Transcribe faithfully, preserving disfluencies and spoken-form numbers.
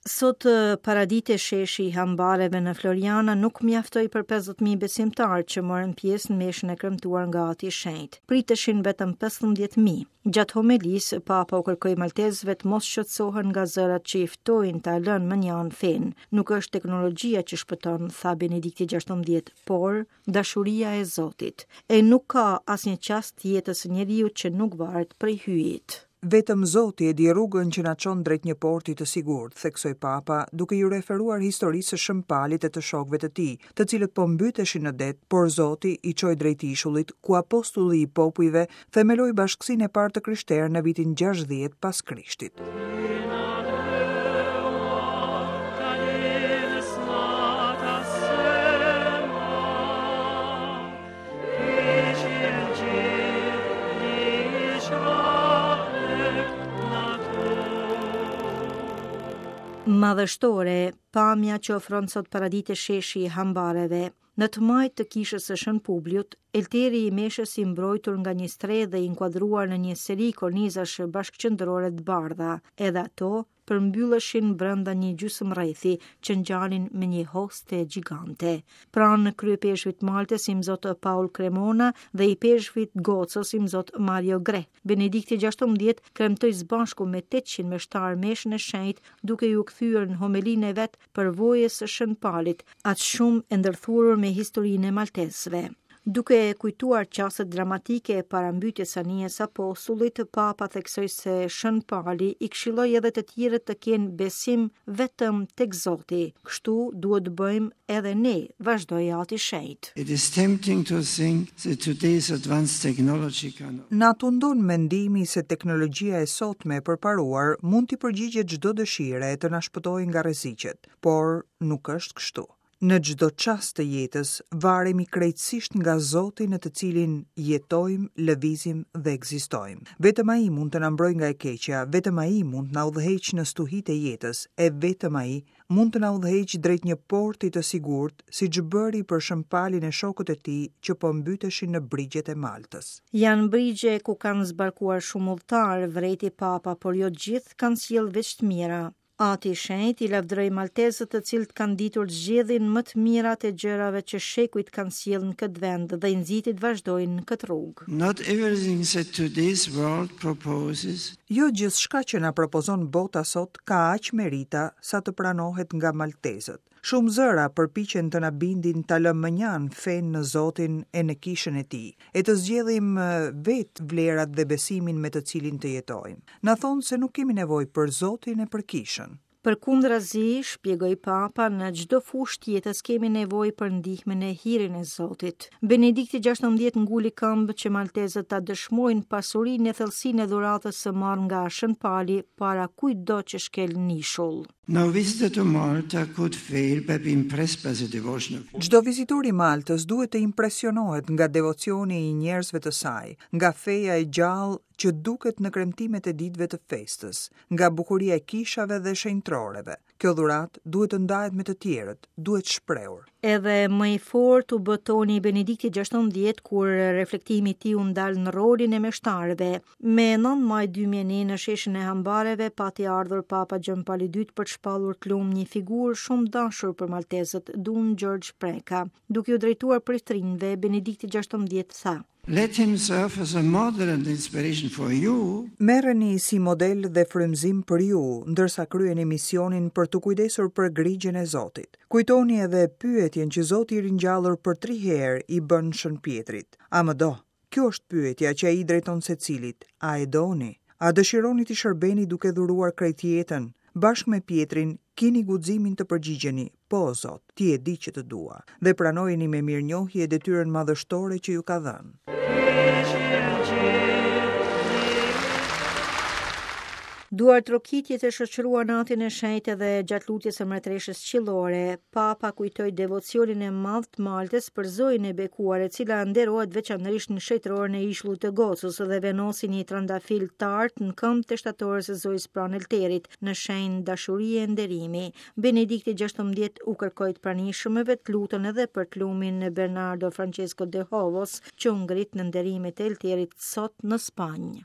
Sot paradite sheshi i hambareve në Floriana nuk mjaftoi për pesëdhjetë mijë besimtarë që morën pjesë në meshën e kremtuar nga Ati i Shenjtë. Priteshin vetëm pesëmbëdhjetë mijë. Gjatë homelisë, Papa u kërkoi maltezëve të mos shqetësohen nga zërat që i ftojnë ta lënë mënjanë fenë. Nuk është teknologjia që shpëton, tha Benedikti gjashtëmbëdhjetë, por dashuria e Zotit. E nuk ka asnjë çast të jetës së njeriu që nuk varet prej hyjit. Vetëm Zoti e di rrugën që na çon drejt një porti të sigurt, theksoi Papa, duke iu referuar historisë së Shën Palit e të shokëve të tij, të cilët po mbyteshin në det, por Zoti i çoi drejt ishullit, ku apostulli i popujve themeloi bashkësinë e parë të krishterë në vitin gjashtëdhjetë pas Krishtit. Madhështore, pamja që ofron sot paradite sheshi i hambareve. Në të majtë të kishës së Shën Publiut, elteri i meshës i mbrojtur nga një strehë dhe i inkuadruar në një seri kornizash bashkëqendrore të bardha, edhe ato përmbylleshin brenda një gjysmë rrethi që ngjanin me një hoste gjigante. Pranë kryepeshvit Maltës imzot Paul Cremona dhe i peshvit Gocës imzot Mario Greh. Benedikti gjashtëmbëdhjetë kremtoi së bashku me tetëqind meshtar meshën e shenjtë, duke iu kthyer në homelinë e vet përvojës së Shën Palit, aq shumë e ndërthurur me historinë e maltezëve. Duke kujtuar çastet dramatike para mbytjes së anijes së apostullit, Papa theksoi se Shën Pali i këshilloi edhe të tjerët të kenë besim vetëm tek Zoti. Kështu duhet të bëjmë edhe ne, vazhdoi Ati Shenjt. It is tempting to think that today's advanced technology can Na tundon mendimi se teknologjia e sotme e përparuar mund t'i përgjigjet çdo dëshire e të na shpëtojë nga rreziqet, por nuk është kështu. Në çdo çast të jetës varemi krejtësisht nga Zoti në të cilin jetojmë, lëvizim dhe ekzistojmë. Vetëm Ai mund të na mbrojë nga e keqja, vetëm Ai mund të na udhëheqë në stuhitë e jetës, e vetëm Ai mund të na udhëheqë drejt një porti të sigurt, siç bëri për Shën Palin e shokët e tij që po mbyteshin në brigjet e Maltës. Janë brigje ku kanë zbarkuar shumë udhëtarë, vrejti Papa, por jo të gjithë kanë sjellë veç të mira. Ati i Shenjt i lavdëroi maltezët të cilët kanë ditur të zgjedhin më të mirat e gjërave që shekujt kanë sjellë në këtë vend dhe i nxiti të vazhdojnë në këtë rrugë. Not everything that today's world proposes. Jo gjithçka që na propozon bota sot ka aq merita sa të pranohet nga maltezët. Shumë zëra përpiqen të na bindin ta lëmë mënjanë fenë në Zotin e në kishën e tij, e të zgjedhim, eh, vetë vlerat dhe besimin me të cilin të jetojmë. Na thonë se nuk kemi nevojë për Zotin e për kishën. Përkundrazi, shpjegoi Papa, në çdo fushë të jetës kemi nevojë për ndihmën e hirin e Zotit. Benedikti gjashtëmbëdhjetë nguli këmbë që maltezët ta dëshmojnë pasurinë e thellësinë e dhuratës së marrë nga Shën Pali para kujtdo që shkel në ishull. No visitor to Malta could fail by being impressed by the devotion of Çdo vizitor i Maltës duhet të impresionohet nga devocioni i njerëzve të saj, nga feja e gjallë që duket në kremtimet e ditëve të festës, nga bukuria e kishave dhe shenjtoreve. Kjo dhuratë duhet të ndahet me të tjerët, duhet shprehur. Edhe më i fortë u bë toni i Benediktit gjashtëmbëdhjetë kur reflektimi i tij u ndal në rolin e meshtarëve. Me nëntë maj dy mijë e një në sheshin e Hambareve pati ardhur Papa Gjon Pali i dytë për të shpallur të lumë një figurë shumë dashur për maltezët, Dun George Preka. Duke u drejtuar priftrinjve, Benedikti gjashtëmbëdhjetë tha: Let him serve as a model and inspiration for you. Merreni si model dhe frymëzim për ju, ndërsa kryeni misionin për t'u kujdesur për grigjën e Zotit. Kujtoni edhe pyetjen që Zoti i ringjallur për tri herë i bën Shën Pjetrit. A më do? Kjo është pyetja që ai i drejton secilit. A e doni? A dëshironi t'i shërbeni duke dhuruar krejt jetën? Bashkë me Pjetrin, kini guximin të përgjigjeni, po Zot, ti e di që të dua, dhe pranojeni me mirënjohje detyrën madhështore që ju ka dhënë. Duartrokitjet e shoqëruan natën e shenjtë edhe gjatë lutjes së mbretëreshës qiellore. Papa kujtoi devocionin e madh të Maltës për Zojën e Bekuar, e cila nderohet veçanërisht në shenjtëroren e ishullit të Gocës dhe vendosi një trandafil të artë në këmbë të shtatores së Zojës pranë Elterit, në shenjë dashurie e nderimi. Benedikti gjashtëmbëdhjetë u kërkoi të pranishmëve të lutën edhe për të lumin Bernardo Francesco de Covos, që u ngrit në nderimet e Elterit sot në Spanjë.